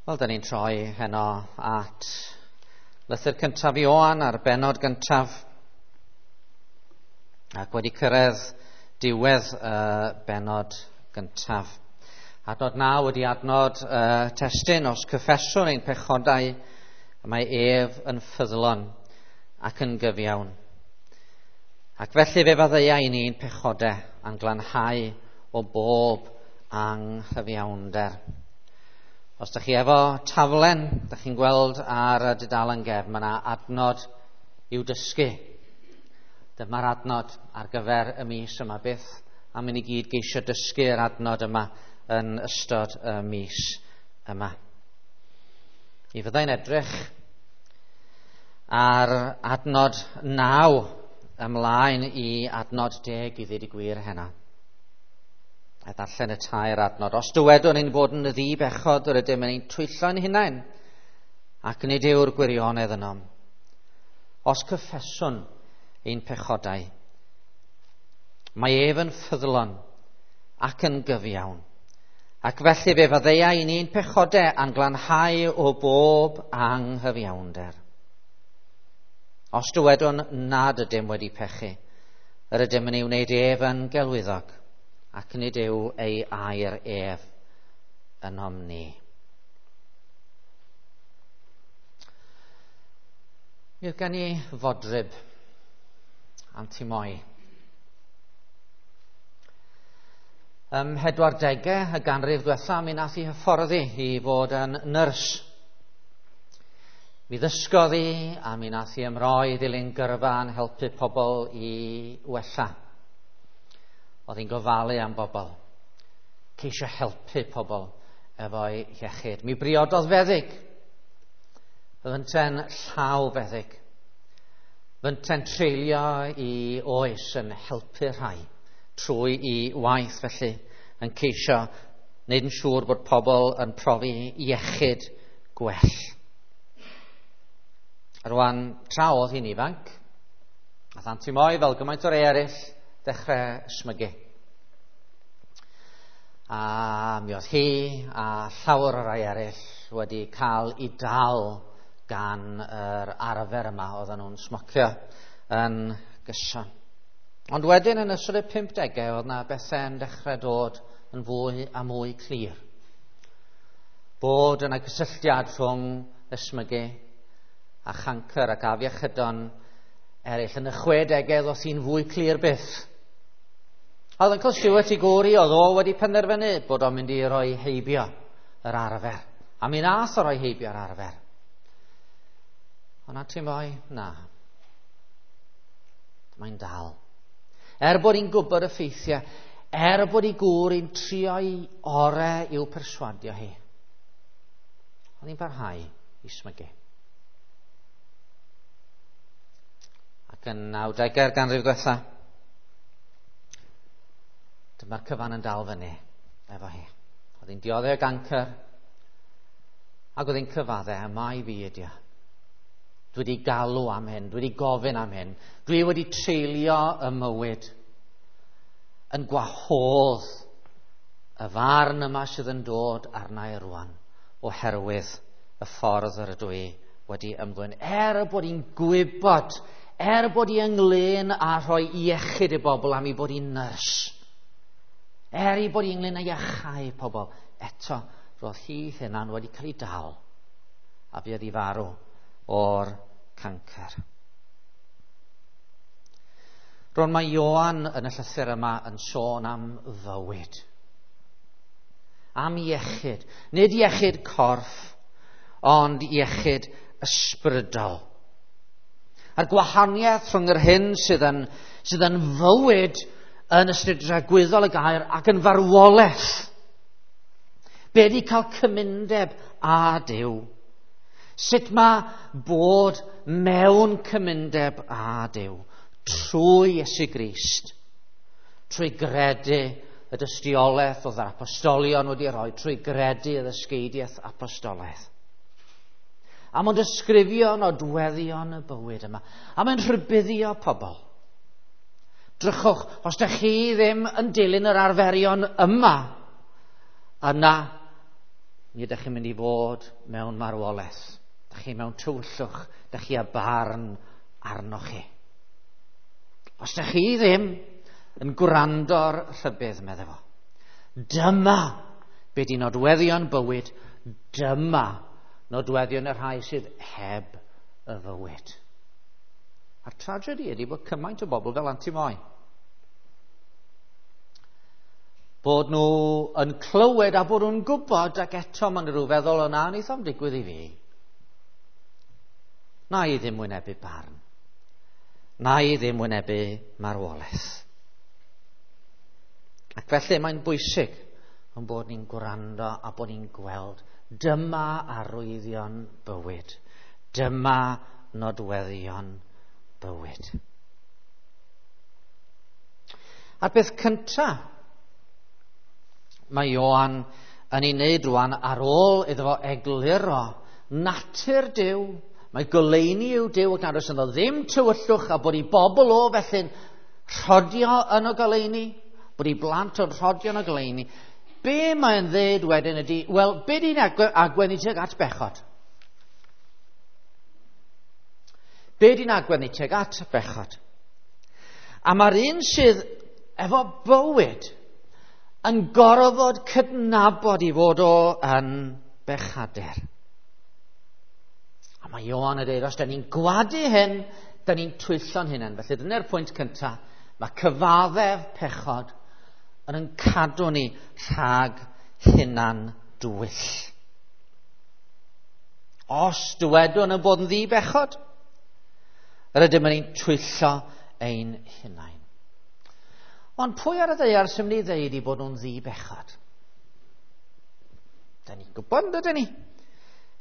Wel, da ni'n troi heno at lythyr cyntaf Ioan a'r bennod gyntaf, ac wedi cyrraedd diwedd y bennod gyntaf. Adnod 9 wedi adnod testun, os cyffeswn ein pechodau, mae ef yn ffyddlon ac yn gyfiawn. Ac felly fe faddeuai ni'n pechodau a'n glanhau o bob anghyfiawnder. Os ydych chi efo taflen, ydych chi'n gweld ar y dudalen gefn, mae yna adnod i'w dysgu. Dyma'r adnod ar gyfer y mis yma. Beth am i ni gyd geisio dysgu'r adnod yma yn ystod y mis yma. Mi fyddai'n edrych ar adnod 9 ymlaen i adnod 10 i ddweud y gwir heno. A darllen y tair adnod. Os dywedwn ein bod yn ddi-bechod, yr ydym yn ein twyllo'n hunain, ac nid yw'r gwirionedd ynom. Os cyffeswn ein pechodau, mae ef yn ffyddlon ac yn gyfiawn. Ac felly fe faddeuai ni'n pechodau a'n glanhau o bob anghyfiawnder. Os dywedwn nad ydym wedi pechu, yr ydym yn ei wneud ef yn gelwyddog, ac nid yw ei air ef ynom ni. Mi oedd gen i fodryb, Anti Moi. Ym 40au y ganrif diwetha, mi nath i hyfforddi i fod yn nyrs. Mi ddysgodd hi a mi nath hi ymroi i ddilyn gyrfa yn helpu pobl i wella. Oedd hi'n gofalu am bobl, ceisio helpu pobl efo'i iechyd. Mi briododd feddyg, fynte'n llaw feddyg, fynte'n treulio i oes yn helpu rhai trwy i waith felly, yn ceisio wneud yn siŵr bod pobl yn profi iechyd gwell. Rwan, tra oedd hi'n ifanc, ath Anti Moi, fel gymaint o'r eraill, dechrau ysmygu. A mi oedd hi a llawer o rai eraill wedi cael ei dal gan yr arfer yma oedden nhw'n smocio yn gyson. Ond wedyn yn ystod y 50au oedd na bethau'n dechrau dod yn fwy a mwy clir. Bod yna gysylltiad rhwng ysmygu a chancr ac afiechydon eraill. Yn y 60au oedd hi'n fwy clir byth. A oedd Uncle Stuart i gŵr i, oedd o wedi penderfynu bod o'n mynd i roi heibio yr arfer. A mi nath o roi heibio'r arfer. Ond Anti Moi, na. Mae'n dal. Er bod hi'n gwybod y ffeithiau, er bod ei gŵr hi'n trio'i orau i'w perswadio hi, oedd hi'n parhau i smygu. Ac yn 90au'r ganrif diwetha, dyma'r cyfan yn dal fyny efo hi. Oedd hi'n dioddef o gancr, ac oedd hi'n cyfaddau, a mai fi ydi o. Dwi wedi galw am hyn, dwi wedi gofyn am hyn, dwi wedi treulio y mywyd yn gwahodd y farn yma sydd yn dod arna i rwan oherwydd y ffordd yr ydw i wedi ymddwyn. Er bod hi'n gwybod, er bod hi ynglyn â rhoi iechyd i bobl am ei bod hi'n nyrs, er ei bod hi ynglyn â iachau pobl, eto roedd hi hunan wedi cael ei dal a fuodd hi farw o'r cancr. Rwan mae Ioan yn y llythyr yma yn sôn am fywyd, am iechyd. Nid iechyd corff, ond iechyd ysbrydol. A'r gwahaniaeth rhwng yr hyn sydd yn fywyd yn ystyr dragwyddol y gair ac yn farwolaeth. Be di cael cymundeb â Duw? Sut mae bod mewn cymundeb â Duw trwy Iesu Grist, trwy gredu y dystiolaeth oedd yr apostolion wedi rhoi, trwy gredu y ddysgeidiaeth apostolaeth. A mae'n disgrifio nodweddion y bywyd yma. A mae'n rhybuddio pobl. Drychwch, os ydych chi ddim yn dilyn yr arferion yma, yna Mi ydych chi'n mynd i fod mewn marwolaeth. Dych chi mewn tywyllwch, dych chi â barn arnoch chi. Os dych chi ddim yn gwrando'r rhybudd, medde fo, dyma be di nodweddion bywyd, dyma nodweddion y rhai sydd heb y fywyd. A'r tragedy ydy bod cymaint o bobl fel Anti Moi. Bod nhw yn clywed a bod nhw'n gwybod, ac eto maen nhw feddwl, o na, wneith o'm digwydd i fi. Na i ddim wynebu barn. Na i ddim wynebu marwolaeth. Ac felly mae'n bwysig yn bod ni'n gwrando a bod ni'n gweld dyma arwyddion bywyd. Dyma nodweddion bywyd. A'r peth cyntaf mae Ioan yn ei wneud rwan ar ôl iddo fo egluro natur Duw, mae goleuni yw Duw ac nad oes ynddo ddim tywyllwch, a bod ei bobl o felly'n rhodio yn y goleuni, bod ei blant o'n rhodio yn y goleuni. Be mae'n ddeud wedyn ydy, wel, be di'n agwedd ni tuag at bechod? Be di'n agwedd ni tuag at bechod? A mae'r un sydd efo bywyd yn gorfod cydnabod i fod o yn bechadur. A mae Ioan yn dweud, os da ni'n gwadu hyn, da ni'n twyllo'n hunain. Felly dyna'r pwynt cyntaf. Mae cyfaddef pechod yn cadw ni rhag hunan dwyll. Os dywedwn yn bod yn ddi-bechod, yr ydym yn ein twyllo ein hunain. Ond pwy ar y ddaear sy'n mynd i ddeud i bod nhw'n ddi-bechod? Da ni'n gwybod, yn dydyn ni?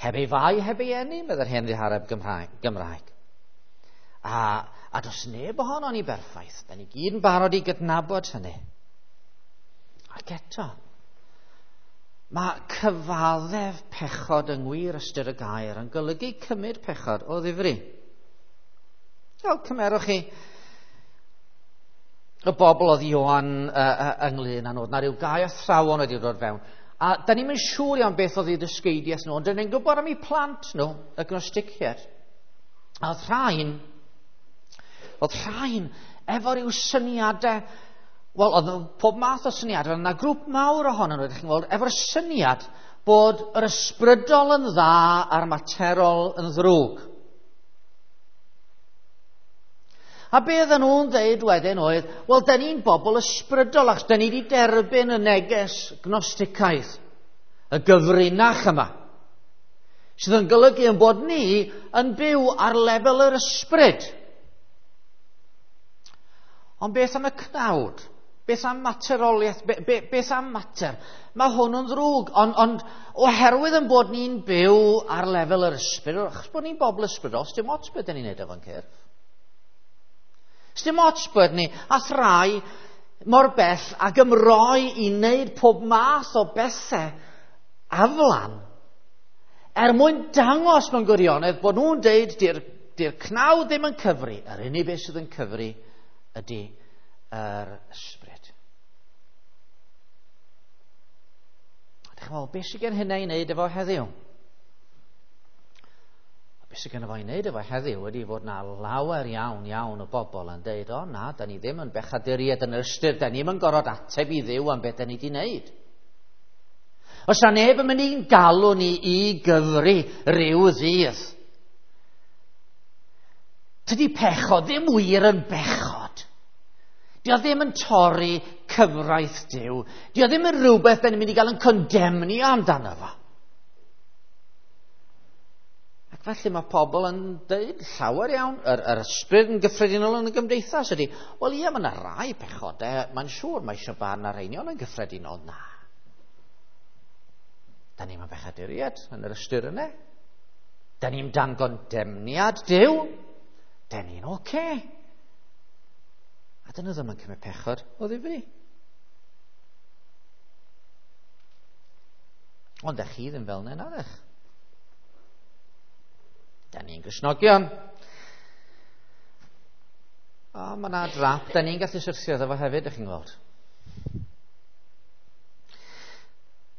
Heb ei fai, heb ei eni, meddai'r hen ddihareb Gymraeg. A does neb ohonon ni berffaith. Da ni gyd yn barod i gydnabod hynny. Ac eto, mae cyfaddef pechod yng ngwir ystyr y gair yn golygu cymryd pechod o ddifri. Wel, cymerwch chi y bobl oedd Ioan ynglyn â nhw. Na ryw gau athrawon wedi dod fewn. A da ni'n mynd siŵr iawn beth oedd eu dysgeidiaeth nhw, ond da ni'n gwybod am eu plant nhw, y gnosticiaid. A oedd rhain efo ryw syniadau, wel, oedd pob math o syniadau, oedd yna grŵp mawr ohonyn nhw, ydych chi'n gweld, efo'r syniad bod yr ysbrydol yn dda a'r materol yn ddrwg. A be oedden nhw'n dweud wedyn oedd, wel, da ni'n bobl ysbrydol, achos da ni wedi derbyn y neges gnosticaidd, y gyfrinach yma, sydd yn golygu yn bod ni yn byw ar lefel yr ysbryd. Ond beth am y cnawd? Beth am materoliaeth? Beth am mater? Mae hwn yn ddrwg, ond oherwydd yn bod ni'n byw ar lefel yr ysbryd, achos bod ni'n bobl ysbrydol, dim ots beth ni'n neud efo'n cyrff. Dim ots bod ni a thrai mor bell ag ymroi i wneud pob math o bethau aflan er mwyn dangos mewn gwirionedd bod nhw'n deud di'r cnawd ddim yn cyfri. Yr unig beth sydd yn cyfri ydy yr ysbryd. Dych chi'n meddwl, beth sydd gen hynna i wneud efo heddiw? Beth sydd gen fo i wneud efo heddiw ydy fod na lawer iawn iawn o bobl yn deud, o na, da ni ddim yn bechaduriaid yn yr ystyr, da ni ddim yn gorfod ateb i Dduw am beth da ni wedi wneud. Os na neb yn mynd i'n galw ni i gyfri ryw ddydd. Tydi pechod ddim wir yn bechod. Dio ddim yn torri cyfraith Duw. Dio ddim yn rhywbeth da ni'n mynd i gael yn condemnio amdano fo. Ac felly mae pobl yn dweud llawer iawn, yr ysbryd yn gyffredinol yn y gymdeithas ydy, wel ie, mae yna rai pechodau, mae'n siŵr mae eisiau barn ar rheini, ond yn gyffredinol, na. Da ni'n bechaduriaid yn yr ystyr yna. Da ni'n dan gondemniad Duw. Da ni'n oce. A dyna ddim yn cymryd pechod o ddifri. Ond ych chi ddim fel yna, naddech. Da ni'n Gristnogion. O, mae yna drap. Da ni'n gallu syrthio iddo fo hefyd, ych chi'n gweld.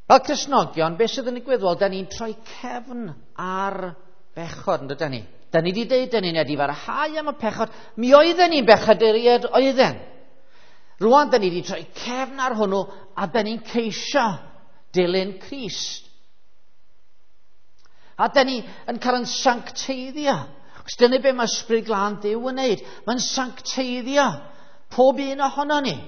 Fel Cristnogion, beth sydd yn digwydd? Wel, da ni'n troi cefn ar bechod, yn dydyn ni? Da ni wedi dweud, da ni'n edifarhau am y pechod. Mi oedden ni'n bechaduriaid, oedden. Rwan, da ni wedi troi cefn ar hwnnw, a da ni'n ceisio dilyn Crist. A da ni yn cael yn sancteiddio. Os dyna be mae Ysbryd Glân Duw yn wneud. Mae'n sancteiddio pob un ohono ni.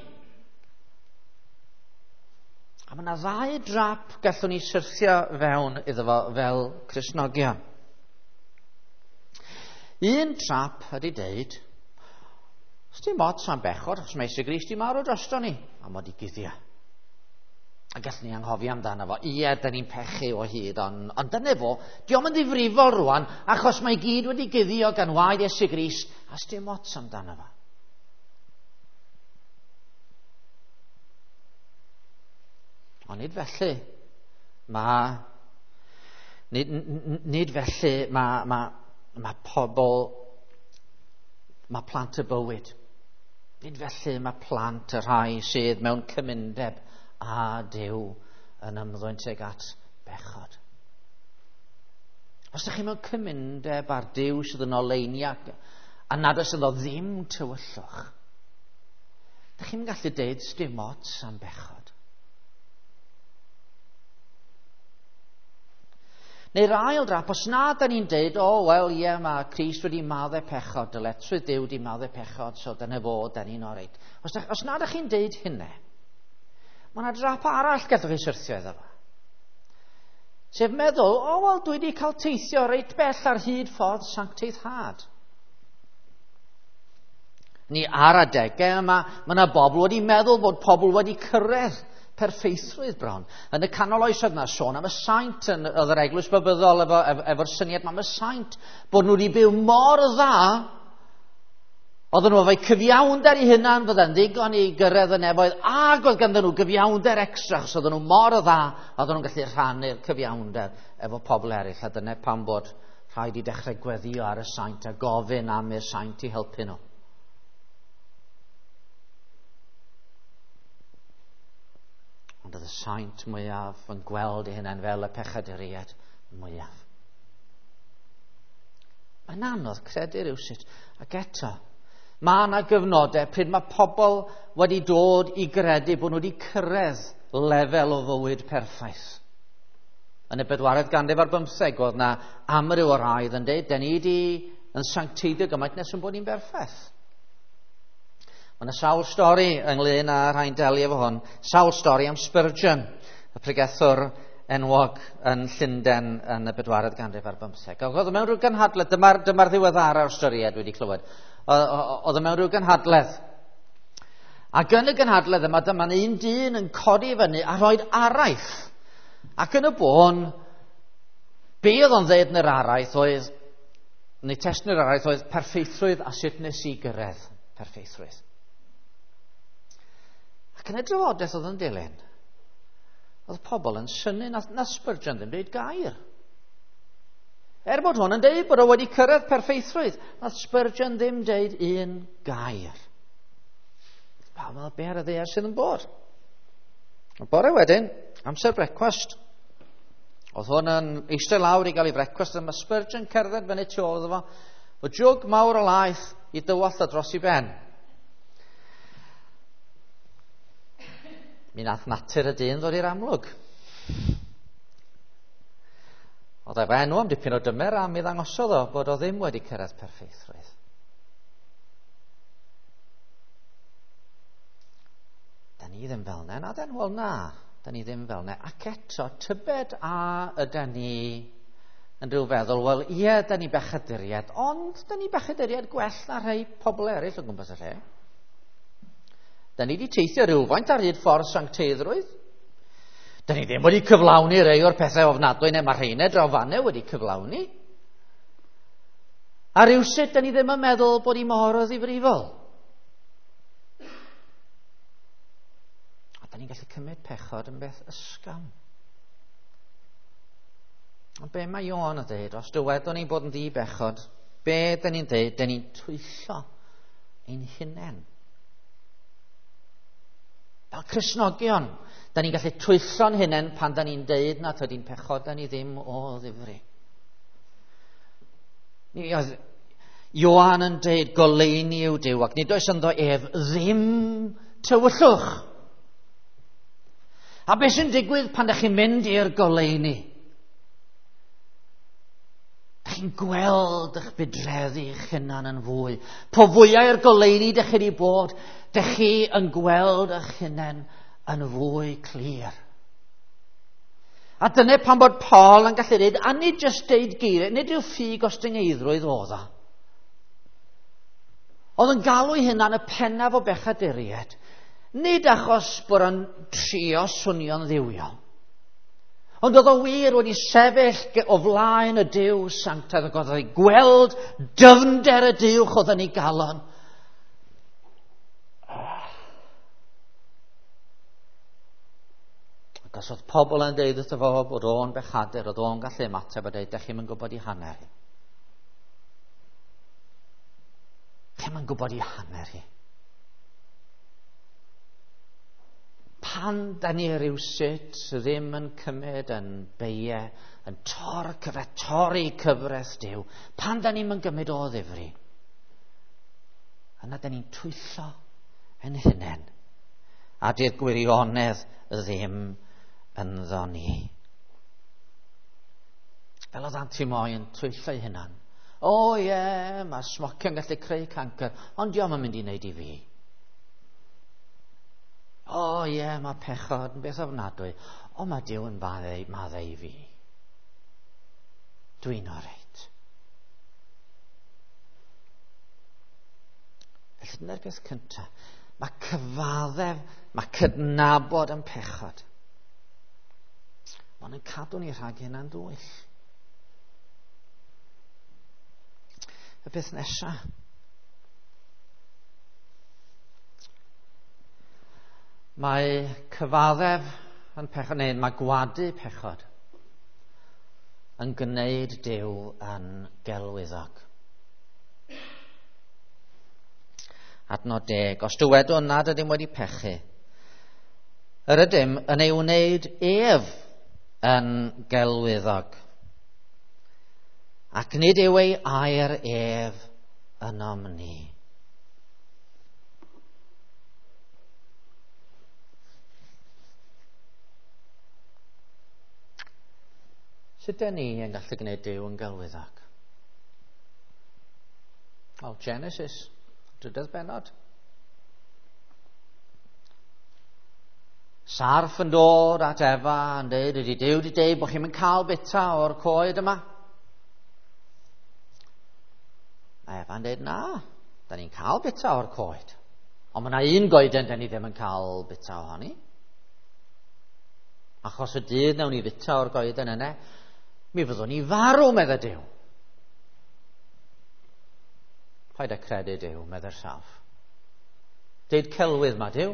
A mae yna ddau drap gallwn ni syrthio fewn iddo fo fel Cristnogion. Un trap ydy deud, os dim ots am bechod, achos mae Iesu Grist i marw drosto ni, a mod i guddio. A gallwn ni anghofio amdano fo. Ie, da ni'n pechu o hyd, ond dyna fo, dio'm yn ddifrifol rwan, achos mae gyd wedi guddio gan waed Iesu Grist, a sdim ots amdano fo. Ond nid felly mae nid felly mae pobl, mae plant y bywyd. Nid felly mae plant y rhai sydd mewn cymundeb a Duw yn ymddwyn tuag at bechod. Os ydych chi mewn cymundeb â'r Duw sydd yn oleuni a nad oes ynddo ddim tywyllwch, ydych chi'n gallu deud sdim ots am bechod. Neu'r ail drap, os na da ni'n deud, o, wel, ie, mae Crist wedi maddau pechod, dyletswydd Duw wedi maddau pechod, so dyna fo, da ni'n oreit. Os na da chi'n deud hynny, mae yna drap arall gallwch chi syrthio iddo fo. Sef meddwl, o, wel, dwi wedi cael teithio reit bell ar hyd ffordd sancteiddhad. Ni ar adegau yma, mae yna bobl wedi meddwl bod pobl wedi cyrraedd perffeithrwydd bron. Yn y canol oesoedd yna sôn am y saint yn oedd yr eglwys Babyddol efo'r syniad am y saint, bod nhw wedi byw mor dda, oedden nhw efo'u cyfiawnder eu hunan, fydda'n ddigon i gyrraedd y nefoedd, ac oedd ganddyn nhw gyfiawnder extra, achos oedden nhw mor dda, oedden nhw'n gallu rhannu'r cyfiawnder efo pobl eraill, a dyna pam bod rhaid i dechrau gweddio ar y saint a gofyn am i'r saint i helpu nhw. Ond oedd y saint mwyaf yn gweld ei hunain fel y pechaduriaid mwyaf. Mae'n anodd credu rhywsut. Ac eto, mae yna gyfnodau pryd mae pobl wedi dod i gredu bod nhw wedi cyrraedd lefel o fywyd perffaith. Yn y 4th ganrif ar 15, oedd yna amryw o raidd yn dweud, da ni wedi yn sancteiddio gymaint nes yn bod ni'n berffaith. Mae yna sawl stori ynglyn â rhai'n delio efo hwn. Sawl stori am Spurgeon, y pregethwr enwog yn Llundain yn y 4th ganrif ar 15. Oedd o mewn rhyw gynhadledd, dyma'r ddiweddara o'r storiad wedi clywed. Oedd o mewn rhyw gynhadledd. Ac yn y gynhadledd yma, dyma'n un dyn yn codi fyny a rhoi'r araith. Ac yn y bôn, be oedd o'n ddeud yn yr araith oedd, neu testun yr araith oedd perffeithrwydd a sut nes i gyrraedd perffeithrwydd. Ac yn y drafodaeth oedd yn dilyn, oedd pobl yn synnu na Spurgeon ddim dweud gair. Er bod hwn yn deud bod o wedi cyrraedd perffeithrwydd, nath Spurgeon ddim deud un gair. Pawb meddwl, be ar y ddaear sydd yn bod? Y bore wedyn, amser brecwast, oedd hwn yn eistedd lawr i gael ei brecwast, a mae Spurgeon cerdded fyny tu ôl iddo fo, o jwg mawr o laeth i dywallt o dros i ben. Mi nath natur y dyn ddod i'r amlwg. Oedd efo enw am dipyn o dymer a mi ddangosodd o bod o ddim wedi cyrraedd perffeithrwydd. Da ni ddim fel 'na, na den? Wel na, da ni ddim fel 'na. Ac eto, tybed a yda ni yn rhyw feddwl, wel ie, da ni bechaduriaid, ond da ni bechaduriaid gwell na rhai pobl eraill o gwmpas y lle. Da ni wedi teithio rhywfaint ar hyd ffordd sancteiddrwydd. Da ni ddim wedi cyflawni rhai o'r pethau ofnadwy neu mae rheina draw fanne wedi cyflawni. A rhywsut, da ni ddim yn meddwl bod hi mor o ddifrifol. A da ni'n gallu cymryd pechod yn beth ysgafn. Ond be mae Ioan yn dweud, os dywedwn ni'n bod yn ddi-bechod, be da ni'n dweud, da ni'n twyllo ein hunain. Fel Cristnogion, Da ni'n gallu twyllo'n hunain pan da ni'n deud na tydi'n pechod da ni ddim o ddifri. Oedd Ioan yn deud goleuni yw Duw ac nid oes ynddo ef ddim tywyllwch. A beth sy'n digwydd pan ydych chi'n mynd i'r goleuni? Dych chi'n gweld eich budreddi eich hunan yn fwy. Po fwyaf i'r goleuni dych chi wedi bod, dych chi yn gweld eich hunan yn fwy clir. A dyna pan bod Paul yn gallu dweud, a nid jyst deud geiriau, nid yw ffug ostyngeiddrwydd oedd o. Oedd yn galw ei hunan y pennaf o bechaduriaid, nid achos bod o'n trio swnio'n ddiwiol, ond oedd o wir wedi sefyll o flaen y Duw sanctaidd ac oedd o'n gweld dyfnder y Duwch oedd yn ei galon. Ac os oedd pobl yn deud wrtho fo bod o'n bechadur, oedd o'n gallu ymateb a deud, dech chi'm yn gwybod i hanner hi. Chi'm yn gwybod i hanner hi. Pan da ni rywsut ddim yn cymryd yn beie, yn torri cyfraith Duw, pan da ni'n gymryd o ddifri, yna da ni'n twyllo yn hunain, a di'r gwirionedd ddim ynddo ni. Fel oedd Anti Moi yn twyllo ei hunan. O ie, yeah, mae smocio'n gallu creu cancr, ond dio'm yn mynd i wneud i fi. O ie, yeah, mae pechod yn beth ofnadwy, ond mae Duw yn maddau i fi. Dwi'n oreit. Felly dyna'r peth cyntaf. Mae cyfaddef, mae cydnabod yn pechod. Mae'n cadw ni rhag hynna'n dwyll. Y peth nesaf. Mae cyfaddef yn pechod, neu mae gwadu pechod yn gwneud Duw yn gelwyddog. Adnod 10. Os dywedwn nad ydym wedi pechu, yr ydym yn ei wneud ef yn gelwyddog, ac nid yw ei air ef ynom ni. Sut ydyn ni yn gallu gwneud Duw yn gelwyddog? Wel, Genesis, drydydd bennod. Sarff yn dod at Efa yn dweud, ydy Duw wedi dweud bod chi'n mynd cael bita o'r coed yma? Mae Efa'n dweud, na, da ni'n cael bita o'r coed. Ond mae yna un goeden da ni ddim yn cael bita ohoni. Achos y dydd nawn ni fita o'r goeden yna, mi fyddwn ni farw, medde Duw. Paid â credu Duw, medde'r sarff. Deud celwydd ma Duw,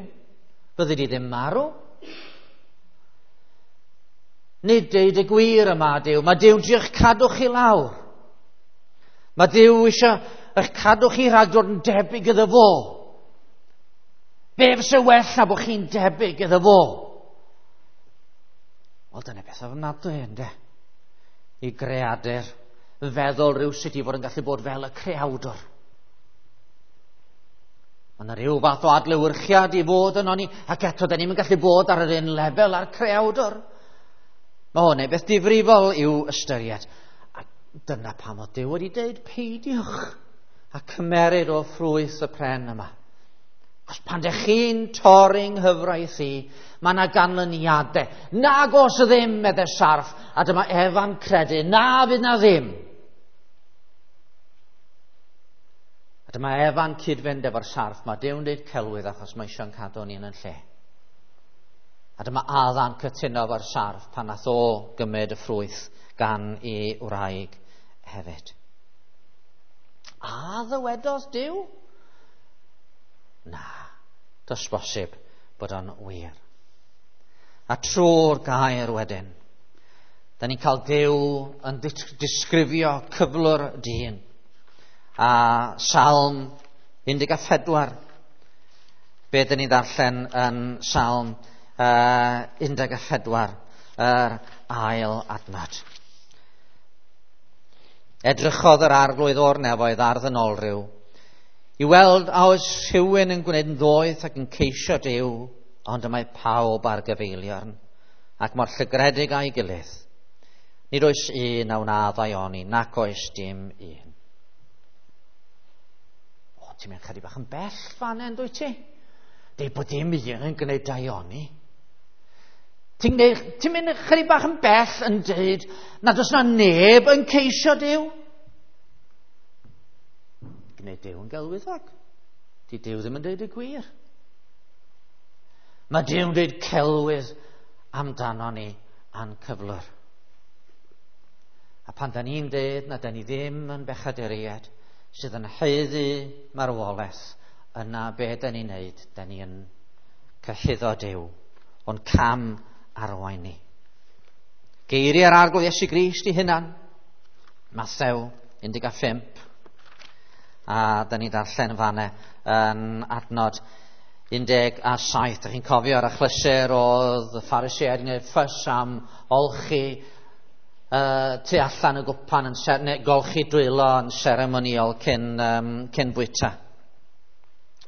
byddi di ddim marw. Nid deud y gwir yma Duw, mae Duw'n trio eich cadw chi lawr. Mae Duw eisiau eich cadw chi rhag dod yn debyg iddo fo. Be fysa well na bod chi'n debyg iddo fo? Wel, dyna beth ofnadwy, ynde? I greadur feddwl rhywsut i fod yn gallu bod fel y creawdwr. Mae yna rhyw fath o adlewyrchiad i fod yno ni, ac eto, da ni'n gallu bod ar yr un lefel â'r creawdwr. Mae hwn yn beth difrifol i'w ystyried. A dyna pam oedd Duw wedi dweud, peidiwch a cymeryd o ffrwyth y pren yma. Os pan dych chi'n torri nghyfraith i, mae yna ganlyniadau. Nag os ddim, medde sarff, a dyma Efa'n credu, na fydd na ddim. A dyma Efa'n cyd-fynd efo'r sarff, mae Duw'n dweud celwydd achos mae eisiau'n cadw ni yn lle. A dyma Adda'n cytuno efo'r sarff pan nath o gymryd y ffrwyth gan ei wraig hefyd. A ddywedodd Duw? Na, does bosib bod o'n wir. A trwy'r gair wedyn, da ni'n cael Duw yn disgrifio cyflwr dyn. A Salm 14, be dyn ni'n ddarllen yn Salm 14, yr ail adnod. Edrychodd yr arglwydd o'r nefoedd ar ddynolryw i weld a oes rhywun yn gwneud yn ddoeth ac yn ceisio Duw, ond y mae pawb ar gyfeiliorn ac mor llygredig a'i gilydd. Nid oes un a wna ddaioni, nac oes dim un. O, ti'n mynd chydig bach yn bell fan hyn, dwyt ti? Deud bod dim un yn gwneud daioni. Ti'n mynd chydig bach yn bell yn deud nad oes na neb yn ceisio Duw? Gwneud Duw yn gelwyddog. Di Duw ddim yn deud y gwir. Mae Duw'n deud celwydd amdano ni a'n cyflwr. A pan da ni'n deud na da ni ddim yn bechaduriaid sydd yn haeddu marwolaeth, yna be da ni'n neud? Da ni yn cyhuddo Duw o'n cam arwain ni. Geiriau'r Arglwydd Iesu Grist i hunan, Mathew 15, a da ni'n darllen fanne yn adnod 17. Da chi'n cofio ar achlysur oedd y Phariseaid yn gwneud ffys am olchi tu allan y gwpan, neu golchi dwylo yn seremoniol cyn bwyta.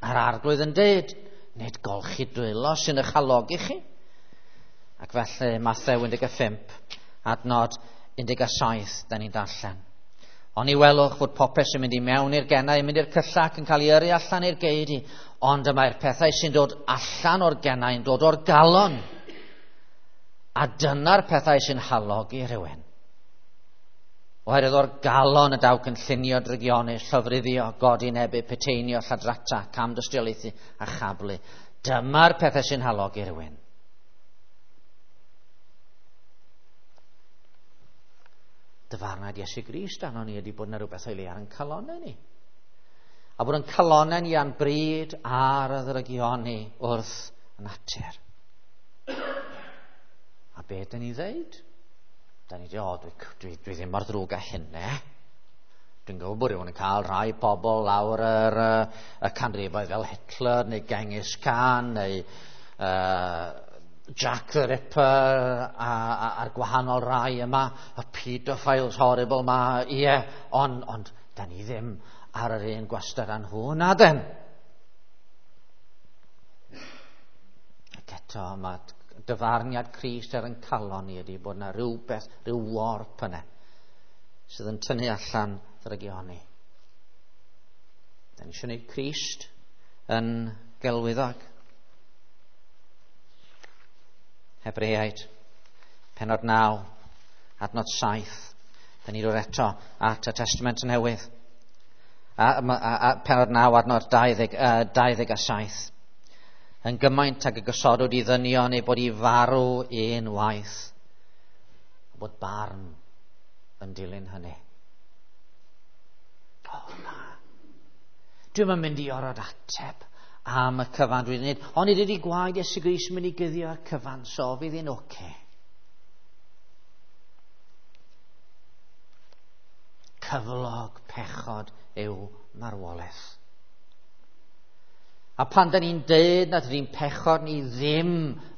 A'r Arglwydd yn deud, nid golchi dwylo sy'n eich halogi chi. Ac felly Mathew 15, adnod 17, da ni'n darllen. Ond i welwch fod popeth sy'n mynd i mewn i'r genau yn mynd i'r cylla ac yn cael ei yrru allan i'r geudy, ond y mae'r pethau sy'n dod allan o'r genau yn dod o'r galon. A dyna'r pethau sy'n halogi rhywun. Oherwydd o'r galon y daw cynllunio drygionus, llofruddio, godinebu, peteinio, lladrata, camdystiolaethu a chablu. Dyma'r pethau sy'n halogi rhywun. Dyfarnad Iesu Grist arno ni ydy bod yna rhywbeth o'i le ar ein calonnau ni. A bod yn calonnau ni a'n bryd ar y ddrygioni wrth natur. A be dyn ni ddeud? Da ni dweud, o, dwi ddim mor ddrwg â hynny. Dwi'n gwybod bod rhywun yn cael rhai pobl lawr y canrifoedd fel Hitler neu Genghis Khan neu Jack the Ripper a'r gwahanol rai yma, y pedophiles horrible ma, ie, ond da ni ddim ar yr un gwastad â nhw, na den. Ac eto, mae dyfarniad Crist ar yn calon ni ydy bod yna rhywbeth, rhyw warp yna, sydd yn tynnu allan ddrygioni. Da ni eisiau gwneud Crist yn gelwyddog. Hebreaid, penod 9, adnod 7. Da ni dod eto at y Testament Newydd. A penod 9, adnod 27. Yn gymaint ag y gosodwyd i ddynion ei bod i farw un waith, bod barn yn dilyn hynny. O na, dwi'm yn mynd i orfod ateb am y cyfan dwi'n gwneud, ond nid ydy gwaed Iesu Grist yn mynd i guddio'r cyfan, so fydd hi'n oce. Cyflog pechod yw marwolaeth. A pan da ni'n deud nad ydy'n pechod ni ddim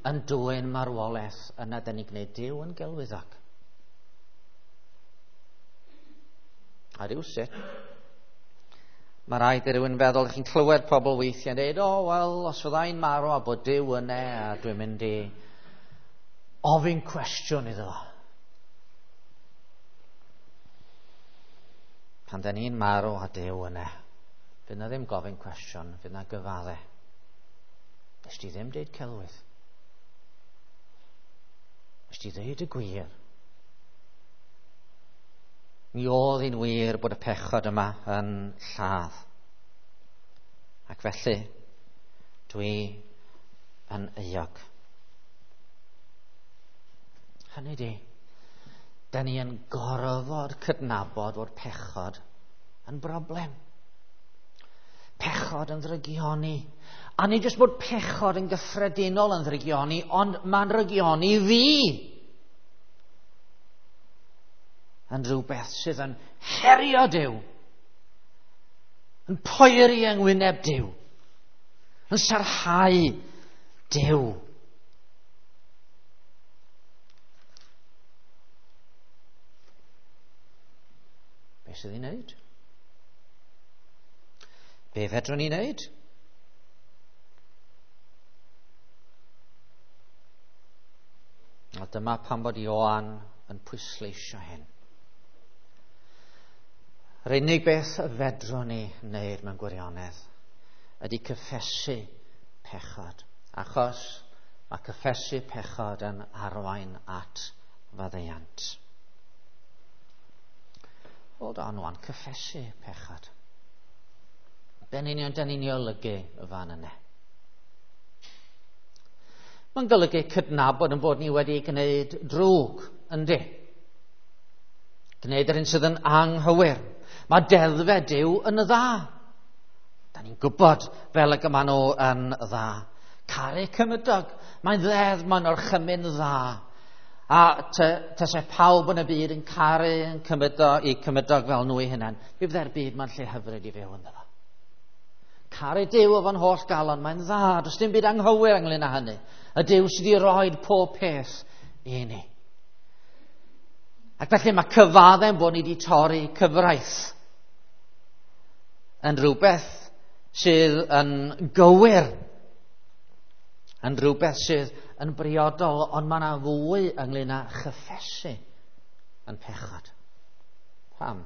yn dwyn marwolaeth, yna da ni'n gwneud Duw yn gelwyddog. A rywsut, mae rhaid i rywun feddwl, chi'n clywed pobl weithiau'n dweud, o, wel, os fyddai'n marw a bod Duw yna, a dwi'n mynd i ofyn cwestiwn iddo fo. Pan da ni'n marw a Duw yna, fydd na ddim gofyn cwestiwn, fydd na gyfadde. Nes ti ddim deud celwydd. Nes ti ddeud y gwir. Mi oedd hi'n wir bod y pechod yma yn lladd. Ac felly, dwi yn euog. Hynny di, da ni yn gorfod cydnabod fod pechod yn broblem. Pechod yn ddrygioni. A nid jyst bod pechod yn gyffredinol yn ddrygioni, ond mae'n ddrygioni fi. Yn rhywbeth sydd yn herio Duw, yn poeri yng ngwyneb Duw, yn sarhau Duw. sydd i wneud? Be fedrwn ni wneud? A dyma pam bod Ioan yn pwysleisio hyn. Yr unig beth fedrwn ni wneud mewn gwirionedd ydy cyffesu pechod. Achos mae cyffesu pechod yn arwain at faddeuant. Hold on wan, cyffesu pechod. Be'n union dan ni'n ei olygu y fan yna? Mae'n golygu cydnabod yn bod ni wedi gwneud drwg, yndi? Gwneud yr un sydd yn anghywir. Mae deddfau Duw yn dda. Da ni'n gwybod fel y maen nhw yn dda. Caru cymydog. Mae'n ddeddf, mae'n orchymyn dda. A tase pawb yn y byd yn caru yn cymydog, i cymydog fel nhw eu hunain, mi fydde'r byd ma'n lle hyfryd i fyw ynddo fo. Caru Duw efo'n holl galon, mae'n dda, does dim byd anghywir ynglyn â hynny. Y Duw sydd wedi rhoi pob peth i ni. Ac felly mae cyfadde'n bod ni wedi torri cyfraith yn rhywbeth sydd yn gywir, yn rhywbeth sydd yn briodol, ond mae yna fwy ynglyn â chyffesu yn pechod. Pam?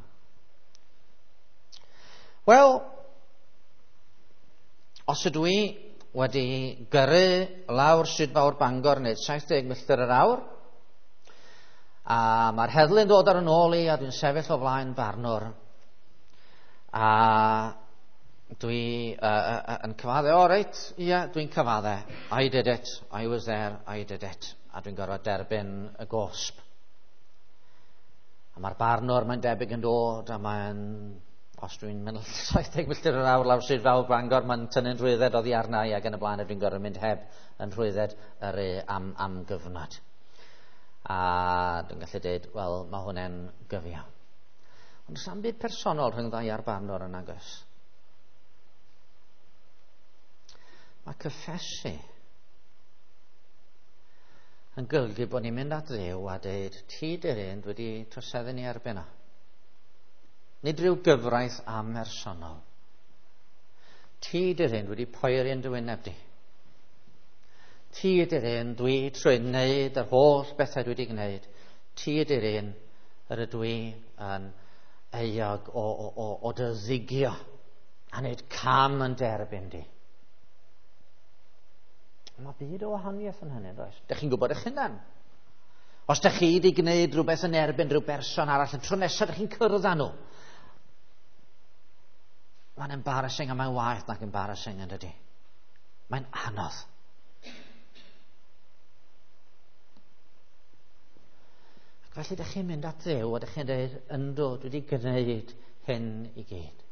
Wel, os ydw i wedi gyrru lawr Stryd Fawr Bangor neu 70 milltir yr awr, a mae'r heddlu'n dod ar yn ôl i a dwi'n sefyll o flaen barnwr, a dwi yn cyfadde, o reit, ie, dwi'n cyfadde, I did it, I was there, I did it, a dwi'n gorfod derbyn y gosb. A mae'r barnwr, mae'n debyg yn dod, a mae'n, os dwi'n mynd 70 milltir yr awr lawr Stryd Fawr Bangor, mae'n tynnu'n rhwydded oddi arna i ac yn y blaen, a dwi'n gorfod mynd heb yn rhwydded yr am gyfnod. A dwi'n gallu dweud, wel, mae hwnna'n gyfiawn. Ond does na'm byd personol rhwng ddau a'r barnwr yn agos. Mae cyffesu yn golygu bod ni'n mynd at Dduw a dweud, ti dy'r un dwi wedi troseddu ni erbyn o. Nid rhyw gyfraith amhersonol. Ti dy'r un dwi wedi poeri yn dy wyneb di. Ti ydy'r un dwi trwy wneud yr holl bethau dwi wedi gwneud. Ti ydy'r un yr ydw i yn euog o dy ddigio a wneud cam yn derbyn di. Mae byd o wahaniaeth yn hynny, does? Dych chi'n gwybod eich hunan. Os dych chi wedi gwneud rhywbeth yn erbyn rhyw berson arall, y tro nesaf dych chi'n cyrraedd â nhw. Mae'n embarrassing a mae'n waeth nag embarrassing yn dydy. Mae'n anodd. Ac felly dych chi'n mynd at Dduw a dych chi'n dweud, yndw, dwi wedi gwneud hyn i gyd.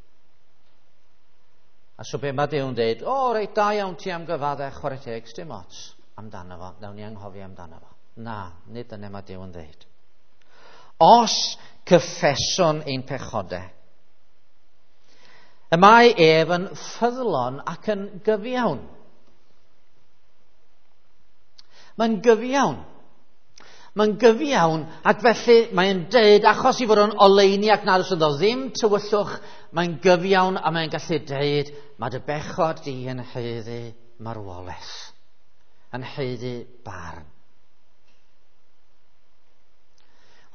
A so be mae Duw'n dweud, o reit, da iawn ti am gyfadde, chwarae teg, sdim ots amdano fo, nawn ni anghofio amdano fo. Na, nid dyna mae Duw yn dweud. Os cyffeswn ein pechodau, y mae ef yn ffyddlon ac yn gyfiawn. Mae'n gyfiawn. Mae'n gyfiawn, ac felly mae'n deud, achos i fod o'n oleuni ac nad oes ynddo ddim tywyllwch, mae'n gyfiawn a mae'n gallu deud, mae dy bechod di yn haeddu marwolaeth, yn haeddu barn.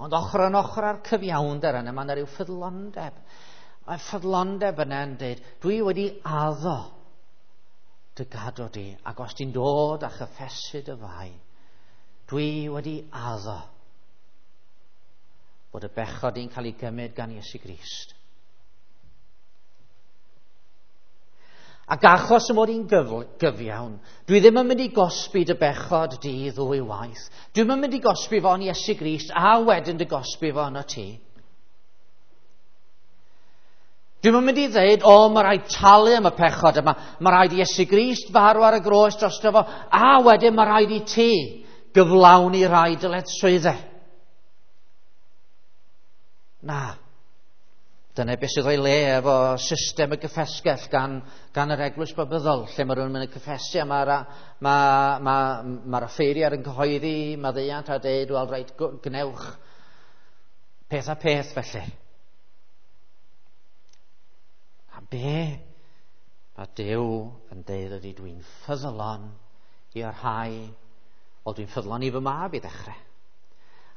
Ond ochr yn ochr â'r cyfiawnder yna, mae yna rhyw ffyddlondeb. Mae ffyddlondeb yna yn deud, dwi wedi addo dy gadw di, ac os ti'n dod a chyffesu dy fai, dwi wedi addo bod y bechod i'n cael ei gymryd gan Iesu Grist. Ac achos y mod i'n gyfiawn, dwi ddim yn mynd i gosbi dy bechod di ddwy waith. Dwi'm yn mynd i gosbi fo yn Iesu Grist a wedyn dy gosbi fo yno ti. Dwi'm yn mynd i ddeud, o, mae rhaid talu am y pechod yma. Mae rhaid i Iesu Grist farw ar y groes drosto fo, a wedyn mae rhaid i ti gyflawni rhai dyletswyddau. Na. Dyna beth sydd o'i le efo system y gyffesgell gan yr eglwys Babyddol, lle mae rhywun yn mynd i cyffesu a mae'r offeiriad yn cyhoeddi maddeuant a deud, wel, reit, gwnewch peth a peth felly. A be mae Duw yn deud ydy dwi'n ffyddlon i'r rhai, o dwi'n ffyddlon i fy mab i ddechrau.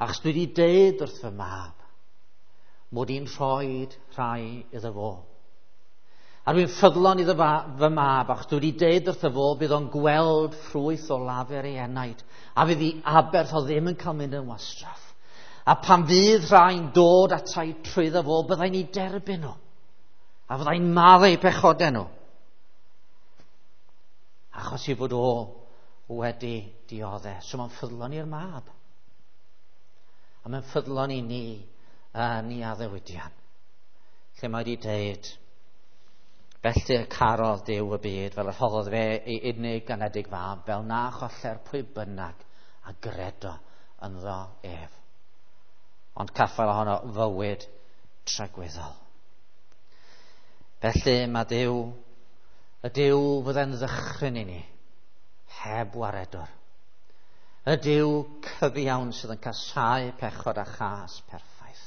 Achos dwi wedi deud wrth fy mab mod i'n rhoi rhai iddo fo. A dwi'n ffyddlon iddo fy mab, achos dwi wedi deud wrtho fo bydd o'n gweld ffrwyth o lafur ei enaid, a fydd ei aberth o ddim yn cael mynd yn wastraff. A pan fydd rhai'n dod atai trwyddo fo, byddai'n ei derbyn nhw. A fyddai'n maddau pechodau nhw. Achos i fod o wedi dioddef. So mae'n ffyddlon i'r mab. A mae'n ffyddlon i ni yn ei addewidion. Lle mae wedi deud, felly y carodd Duw y byd fel y rhoddodd fe ei unig anedig fab, fel na choller pwy bynnag a gredo ynddo ef. Ond caffael ohono fywyd tragwyddol. Felly mae Duw, y Duw fydde'n ddychryn i ni, heb waredwr. Y Duw cyfiawn sydd yn casáu pechod a chas perffaith.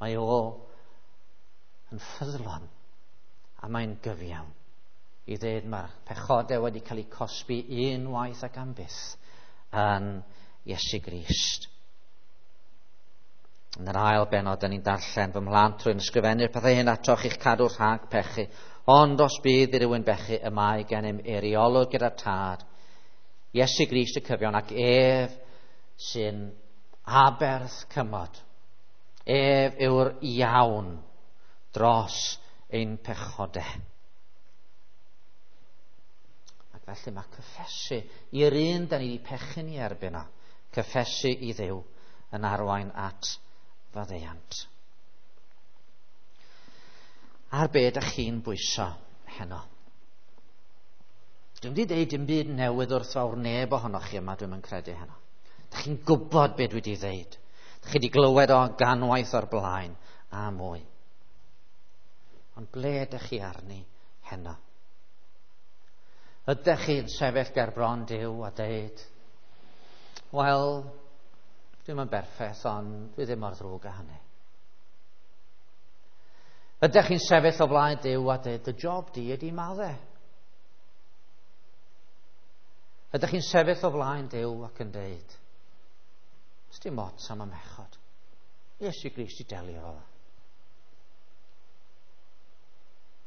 Mae o yn ffyddlon a mae'n gyfiawn i ddweud mae'r pechodau wedi cael eu cosbi unwaith ac am byth yn Iesu Grist. Yn yr ail bennod, da ni'n darllen fy mhlant rwy'n ysgrifennu'r pethau hyn atoch i'ch cadw rhag pechu. Ond os bydd i rywun bechu, y mae gennym eiriolwr gyda'r Tad, Iesu Grist y cyfiawn, ac ef sy'n aberth cymod. Ef yw'r iawn dros ein pechodau. Ac felly mae cyffesu i'r un da ni wedi pechu ni erbyn o, cyffesu i Dduw yn arwain at faddeuant. Ar be ydych chi'n bwyso heno? Dwi'n wedi deud dim byd newydd wrth fawr neb ohonoch chi yma, dwi'n yn credu heno. Dych chi'n gwybod be dwi wedi ddeud. Dych chi wedi glywed o ganwaith o'r blaen a mwy. Ond ble ydych chi arni heno? Ydych chi'n sefyll ger bron Duw a deud, wel, dwi'm yn berffaith, ond dwi ddim mor ddrwg â hynny. Ydych chi'n sefyll o flaen Duw a dweud, dy job di ydy maddau? Ydych chi'n sefyll o flaen Duw ac yn dweud, dim ots am y mechod. Iesu Grist i delio efo fo.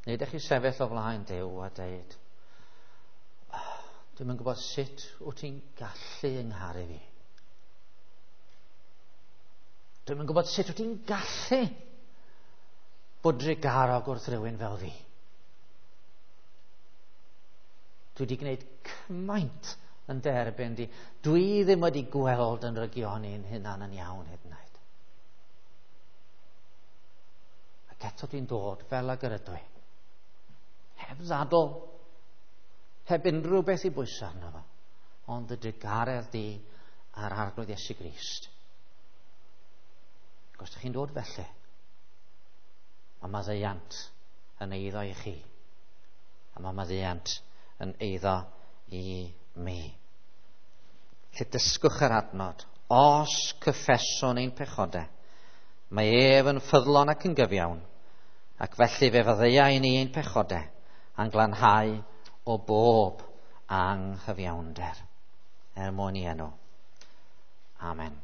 Neu ydych chi'n sefyll o flaen Duw a dweud, oh, dwi'm yn gwybod sut wyt ti'n gallu yngharu fi. Dwi'm yn gwybod sut wyt ti'n gallu bod drugarog wrth rywun fel fi. Dwi wedi gwneud cymaint yn derbyn di. Dwi ddim wedi gweld yn rygioni'n hunan yn iawn hyd yn oed. Ac eto dwi'n dod fel ag yr ydw i. Heb ddadl, heb unrhyw beth i bwyso arno fo, ond y drugaredd di a'r Arglwydd Iesu Grist. Ac os ydych chi'n dod felly, mae maddeuant yn eiddo i chi. A mae maddeuant yn eiddo i mi. Lle dysgwch yr adnod, os cyffeswn ein pechodau, mae ef yn ffyddlon ac yn gyfiawn, ac felly fe faddeuai ni ein pechodau, a'n glanhau o bob anghyfiawnder. Er mwyn i enw. Amen.